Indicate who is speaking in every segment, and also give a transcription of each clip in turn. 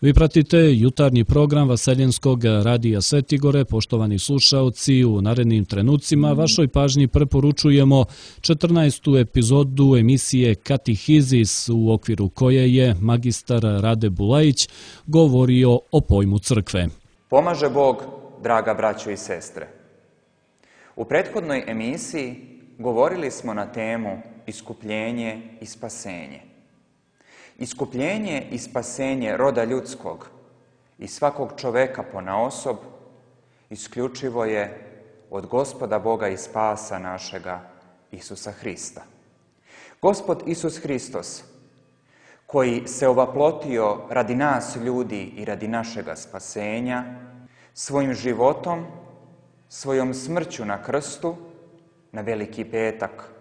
Speaker 1: Vi pratite jutarnji program Vaseljenskog radija Svetigore. Poštovani slušaoci, u narednim trenucima vašoj pažnji preporučujemo 14. epizodu emisije Katihizis, u okviru koje je magistar Rade Bulajić govorio o pojmu crkve.
Speaker 2: Pomaže Bog, draga braćo i sestre. U prethodnoj emisiji govorili smo na temu iskupljenje i spasenje. Iskupljenje i spasenje roda ljudskog i svakog čoveka ponaosob isključivo je od Gospoda Boga i spasa našega Isusa Hrista. Gospod Isus Hristos, koji se ovaplotio radi nas ljudi i radi našega spasenja, svojim životom, svojom smrću na krstu, na Veliki petak,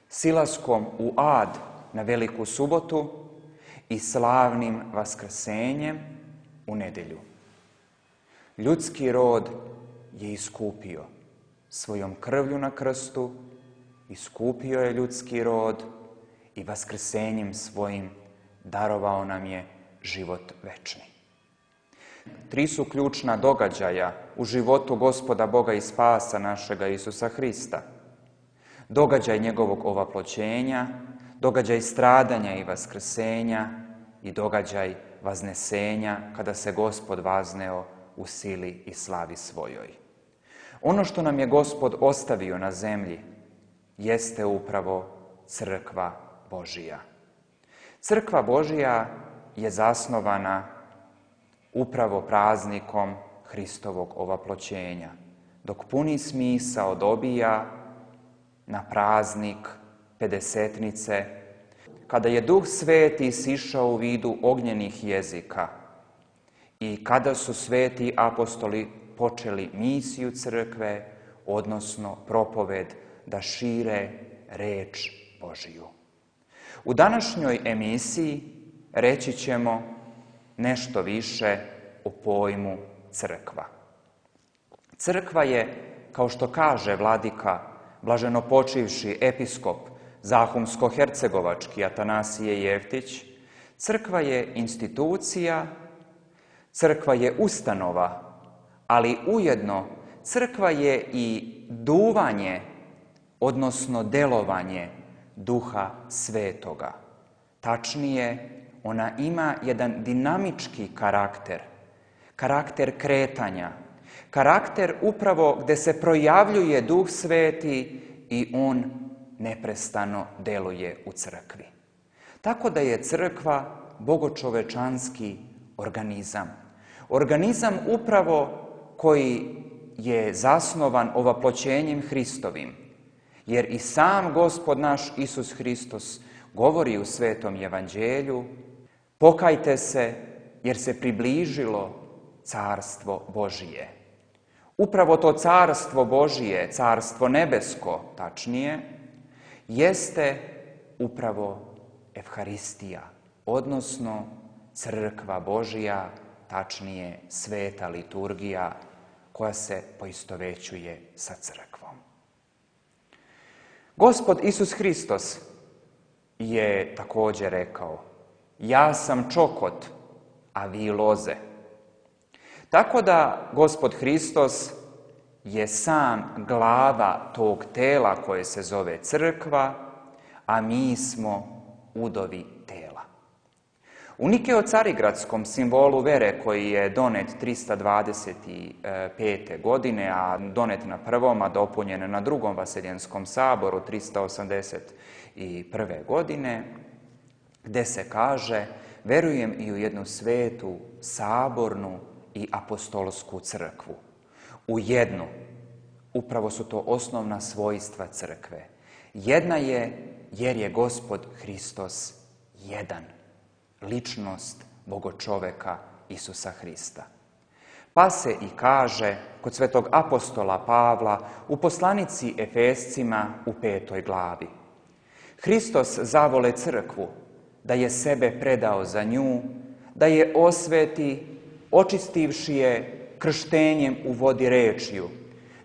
Speaker 2: silaskom u ad na Veliku subotu i slavnim vaskrsenjem u nedjelju. Ljudski rod je iskupio svojom krvlju na krstu, iskupio je ljudski rod i vaskrsenjem svojim darovao nam je život večni. 3 su ključna događaja u životu Gospoda Boga i spasa našega Isusa Hrista. Događaj njegovog ovaploćenja, događaj stradanja i vaskrsenja i događaj vaznesenja kada se Gospod vazneo u sili i slavi svojoj. Ono što nam je Gospod ostavio na zemlji jeste upravo crkva Božija. Crkva Božija je zasnovana upravo praznikom Hristovog ovaploćenja, dok puni smisao dobija na praznik Pedesetnice, kada je Duh Sveti sišao u vidu ognjenih jezika i kada su sveti apostoli počeli misiju crkve, odnosno propoved da šire reč Božiju. U današnjoj emisiji reći ćemo nešto više o pojmu crkva. Crkva je, kao što kaže vladika blaženopočivši episkop Zahumsko-hercegovački Atanasije Jeftić, crkva je institucija, crkva je ustanova, ali ujedno crkva je i duvanje, odnosno delovanje Duha Svetoga. Tačnije, ona ima jedan dinamički karakter kretanja, karakter upravo gdje se projavljuje Duh Sveti i on neprestano deluje u crkvi. Tako da je crkva bogočovečanski organizam. Organizam upravo koji je zasnovan ovaploćenjem Hristovim. Jer i sam Gospod naš Isus Hristos govori u Svetom Evanđelju: pokajte se jer se približilo carstvo Božije. Upravo to carstvo Božije, carstvo nebesko tačnije, jeste upravo Evharistija, odnosno crkva Božija, tačnije sveta liturgija koja se poistovećuje sa crkvom. Gospod Isus Hristos je također rekao: ja sam čokot, a vi loze. Tako da Gospod Hristos je sam glava tog tela koje se zove crkva, a mi smo udovi tela. U Nikeo-Carigradskom simbolu vere koji je donet 325. godine, a donet na prvom, a dopunjen na drugom Vaseljenskom saboru 381. godine, gde se kaže: verujem i u jednu svetu, sabornu i apostolsku crkvu. U jednu, upravo su to osnovna svojstva crkve. Jedna je jer je Gospod Hristos jedan, ličnost bogočoveka Isusa Hrista. Pa se i kaže kod svetog apostola Pavla u poslanici Efescima u 5. glavi: Hristos zavole crkvu, da je sebe predao za nju, da je osveti, očistivši je krštenjem u vodi rečju,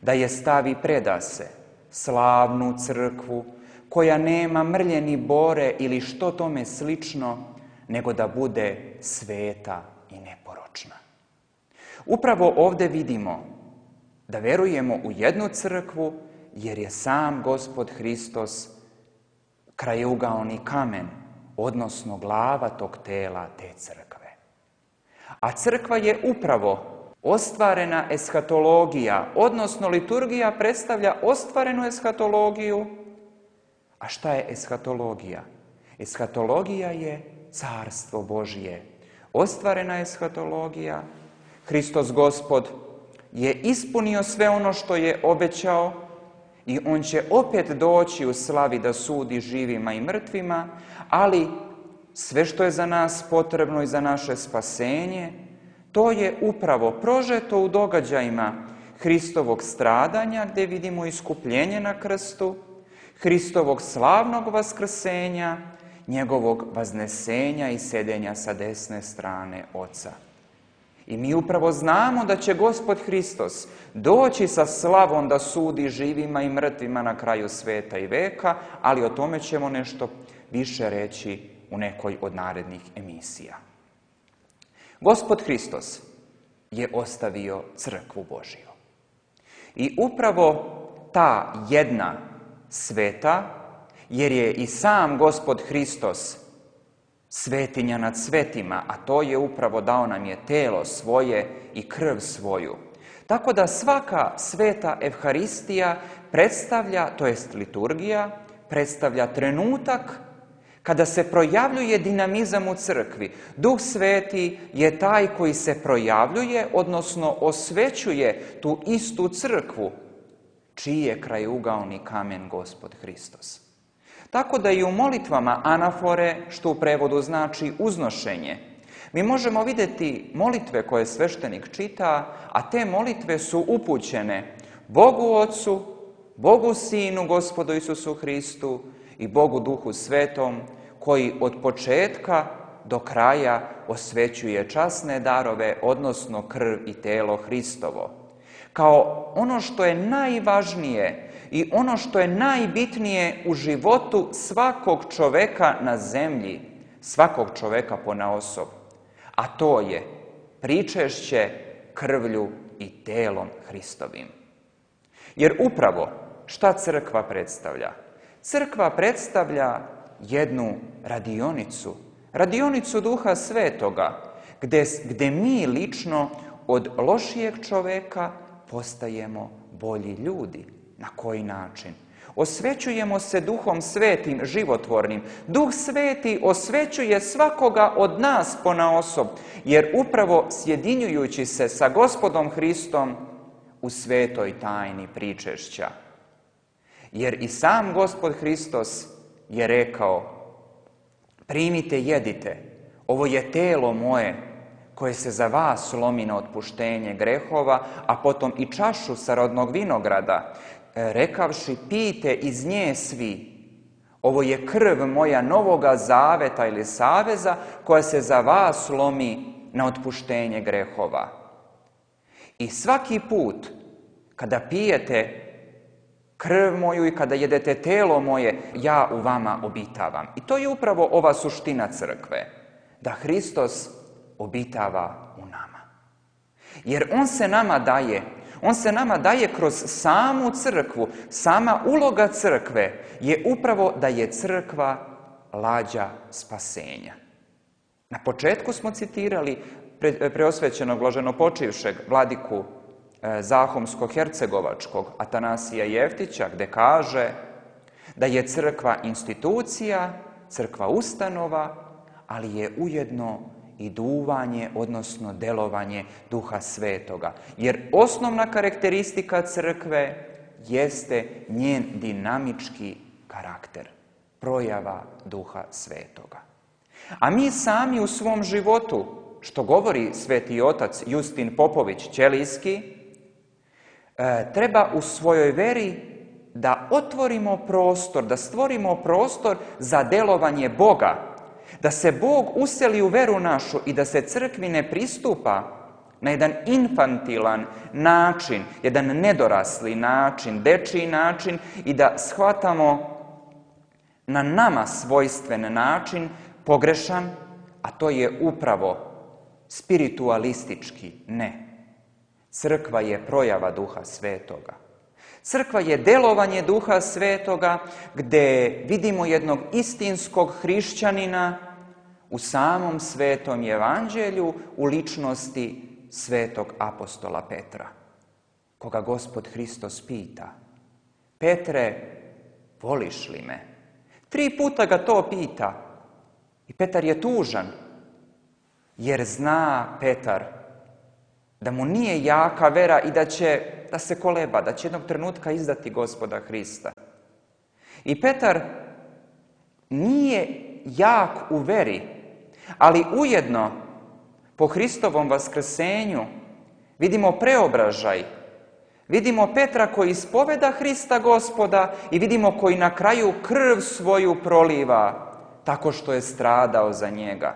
Speaker 2: da je stavi preda se, slavnu crkvu, koja nema mrlje ni bore ili što tome slično, nego da bude sveta i neporočna. Upravo ovdje vidimo da verujemo u jednu crkvu, jer je sam Gospod Hristos krajeuglaoni kamen, odnosno glava tog tela, te crkve. A crkva je upravo ostvarena eshatologija, odnosno liturgija predstavlja ostvarenu eshatologiju. A šta je eshatologija? Eshatologija je carstvo Božje. Ostvarena eshatologija, Hristos Gospod je ispunio sve ono što je obećao i on će opet doći u slavi da sudi živima i mrtvima, ali sve što je za nas potrebno i za naše spasenje, to je upravo prožeto u događajima Hristovog stradanja, gdje vidimo iskupljenje na krstu, Hristovog slavnog vaskrsenja, njegovog vaznesenja i sedenja sa desne strane Oca. I mi upravo znamo da će Gospod Hristos doći sa slavom da sudi živima i mrtvima na kraju sveta i veka, ali o tome ćemo nešto više reći u nekoj od narednih emisija. Gospod Hristos je ostavio crkvu Božju. I upravo ta jedna sveta, jer je i sam Gospod Hristos svetinja nad svetima, a to je upravo dao nam je telo svoje i krv svoju. Tako da svaka sveta Evharistija predstavlja, to jest liturgija, predstavlja trenutak kada se projavljuje dinamizam u crkvi. Duh Sveti je taj koji se projavljuje, odnosno osvećuje tu istu crkvu, čiji je krajeuglaoni kamen Gospod Hristos. Tako da i u molitvama anafore, što u prevodu znači uznošenje, mi možemo vidjeti molitve koje sveštenik čita, a te molitve su upućene Bogu Otcu, Bogu Sinu, Gospodu Isusu Hristu i Bogu Duhu Svetom, koji od početka do kraja osvećuje časne darove, odnosno krv i telo Hristovo. Kao ono što je najvažnije i ono što je najbitnije u životu svakog čoveka na zemlji, svakog čoveka ponaosob, a to je pričešće krvlju i telom Hristovim. Jer upravo šta crkva predstavlja? Crkva predstavlja jednu radionicu Duha Svetoga, gdje mi lično od lošijeg čoveka postajemo bolji ljudi. Na koji način? Osvećujemo se Duhom Svetim, životvornim. Duh Sveti osvećuje svakoga od nas ponaosob, jer upravo sjedinjujući se sa Gospodom Hristom u svetoj tajni pričešća. Jer i sam Gospod Hristos je rekao: primite, jedite, ovo je telo moje koje se za vas lomi na otpuštenje grehova, a potom i čašu sa rodnog vinograda, rekavši: pijte iz nje svi, ovo je krv moja novoga zaveta ili saveza koja se za vas lomi na otpuštenje grehova. I svaki put kada pijete krv moju i kada jedete telo moje, ja u vama obitavam. I to je upravo ova suština crkve, da Hristos obitava u nama. Jer on se nama daje kroz samu crkvu. Sama uloga crkve je upravo da je crkva lađa spasenja. Na početku smo citirali preosvećenog blaženopočivšeg vladiku Zahumsko-hercegovačkog Atanasija Jeftića, gde kaže da je crkva institucija, crkva ustanova, ali je ujedno i duvanje, odnosno delovanje Duha Svetoga. Jer osnovna karakteristika crkve jeste njen dinamički karakter, projava Duha Svetoga. A mi sami u svom životu, što govori sveti otac Justin Popović Ćelijski, treba u svojoj veri da otvorimo prostor, da stvorimo prostor za delovanje Boga, da se Bog useli u veru našu i da se crkvi ne pristupa na jedan infantilan način, jedan nedorasli način, dečiji način i da shvatamo na nama svojstven način, pogrešan, a to je upravo spiritualistički, ne. Crkva je projava Duha Svetoga. Crkva je delovanje Duha Svetoga gdje vidimo jednog istinskog hrišćanina u samom Svetom Evanđelju u ličnosti svetog apostola Petra, koga Gospod Hristos pita: Petre, voliš li me? 3 puta ga to pita i Petar je tužan, jer zna Petar da mu nije jaka vera i da se koleba, da će jednog trenutka izdati Gospoda Hrista. I Petar nije jak u veri, ali ujedno po Hristovom vaskrsenju vidimo preobražaj. Vidimo Petra koji ispoveda Hrista Gospoda i vidimo koji na kraju krv svoju proliva tako što je stradao za njega.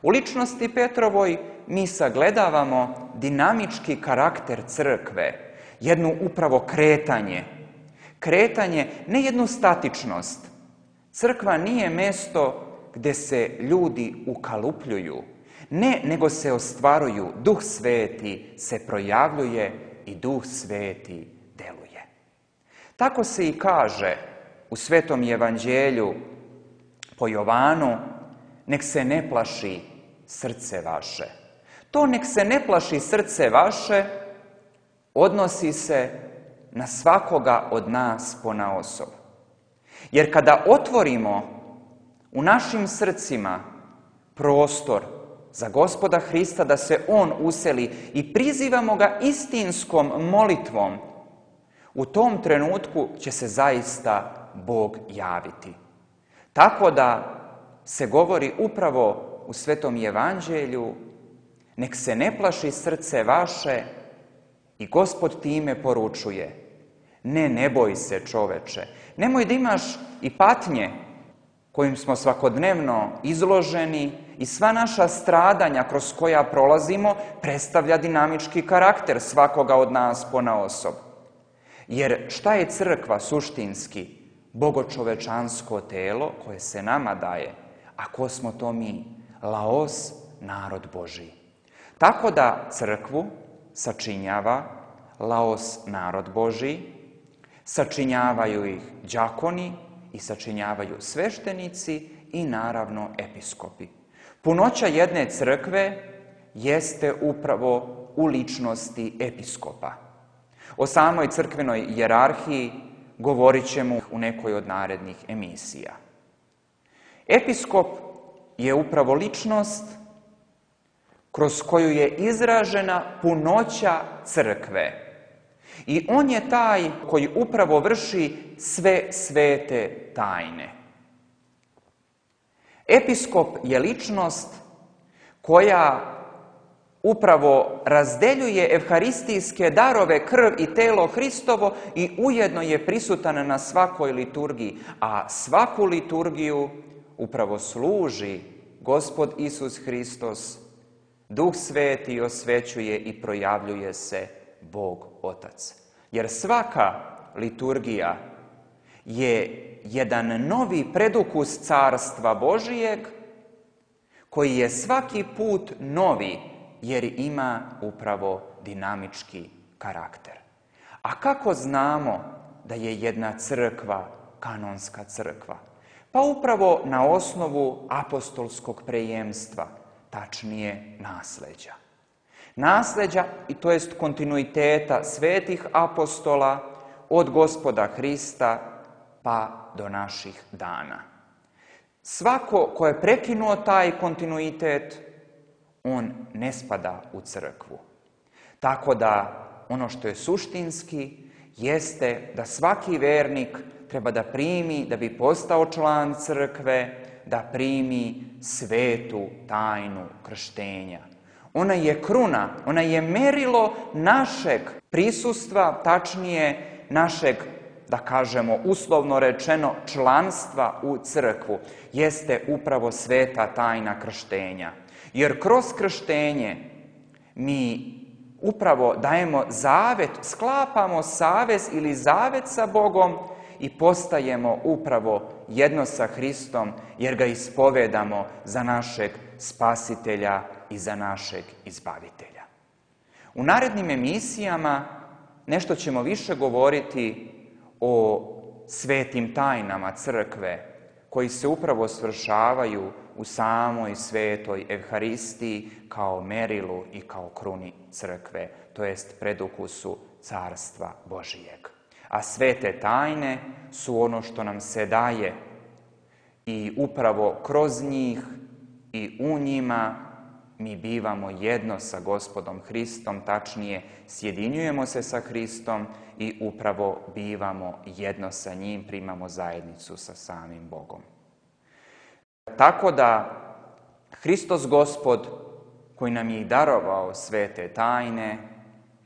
Speaker 2: U ličnosti Petrovoj mi sagledavamo dinamički karakter crkve, jednu upravo kretanje. Kretanje, ne jednu statičnost. Crkva nije mjesto gdje se ljudi ukalupljuju. Ne, nego se ostvaruju. Duh Sveti se projavljuje i Duh Sveti deluje. Tako se i kaže u Svetom Evanđelju po Jovanu: nek se ne plaši srce vaše. To nek se ne plaši srce vaše odnosi se na svakoga od nas ponaosob. Jer kada otvorimo u našim srcima prostor za Gospoda Hrista da se On useli i prizivamo ga istinskom molitvom, u tom trenutku će se zaista Bog javiti. Tako da se govori upravo u Svetom Evanđelju: nek se ne plaši srce vaše, i Gospod time poručuje: ne boj se, čoveče. Nemoj da imaš i patnje kojim smo svakodnevno izloženi i sva naša stradanja kroz koja prolazimo predstavlja dinamički karakter svakoga od nas ponaosob. Jer šta je crkva suštinski? Bogočovečansko telo koje se nama daje. A ko smo to mi? Laos, narod Božji. Tako da crkvu sačinjava laos, narod Božji, sačinjavaju ih đakoni i sačinjavaju sveštenici i naravno episkopi. Punoća jedne crkve jeste upravo u ličnosti episkopa. O samoj crkvenoj hijerarhiji govorit ćemo u nekoj od narednih emisija. Episkop je upravo ličnost kroz koju je izražena punoća crkve. I on je taj koji upravo vrši sve svete tajne. Episkop je ličnost koja upravo razdeljuje evharistijske darove, krv i telo Hristovo i ujedno je prisutan na svakoj liturgiji, a svaku liturgiju upravo služi Gospod Isus Hristos. Duh Sveti osvećuje i projavljuje se Bog Otac. Jer svaka liturgija je jedan novi predukus Carstva Božijeg koji je svaki put novi jer ima upravo dinamički karakter. A kako znamo da je jedna crkva kanonska crkva? Pa upravo na osnovu apostolskog prejemstva, tačnije nasleđa. Nasleđa, i to jest kontinuiteta svetih apostola od Gospoda Hrista pa do naših dana. Svako ko je prekinuo taj kontinuitet, on ne spada u crkvu. Tako da ono što je suštinski jeste da svaki vernik treba da primi, da bi postao član crkve, da primi svetu tajnu krštenja. Ona je kruna, ona je merilo našeg prisustva, tačnije našeg, da kažemo uslovno rečeno, članstva u crkvu. Jeste upravo sveta tajna krštenja. Jer kroz krštenje mi upravo dajemo zavet, sklapamo savez ili zavet sa Bogom i postajemo upravo jedno sa Hristom jer ga ispovedamo za našeg spasitelja i za našeg izbavitelja. U narednim emisijama nešto ćemo više govoriti o svetim tajnama crkve koji se upravo svršavaju u samoj svetoj Evharistiji kao merilu i kao kruni crkve, to jest predukusu Carstva Božijeg. A svete tajne su ono što nam se daje i upravo kroz njih i u njima mi bivamo jedno sa Gospodom Hristom, tačnije sjedinjujemo se sa Hristom i upravo bivamo jedno sa njim, primamo zajednicu sa samim Bogom. Tako da Hristos Gospod, koji nam je i darovao svete tajne,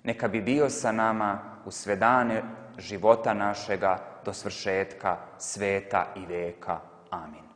Speaker 2: neka bi bio sa nama u sve dane života našega do svršetka sveta i veka. Amin.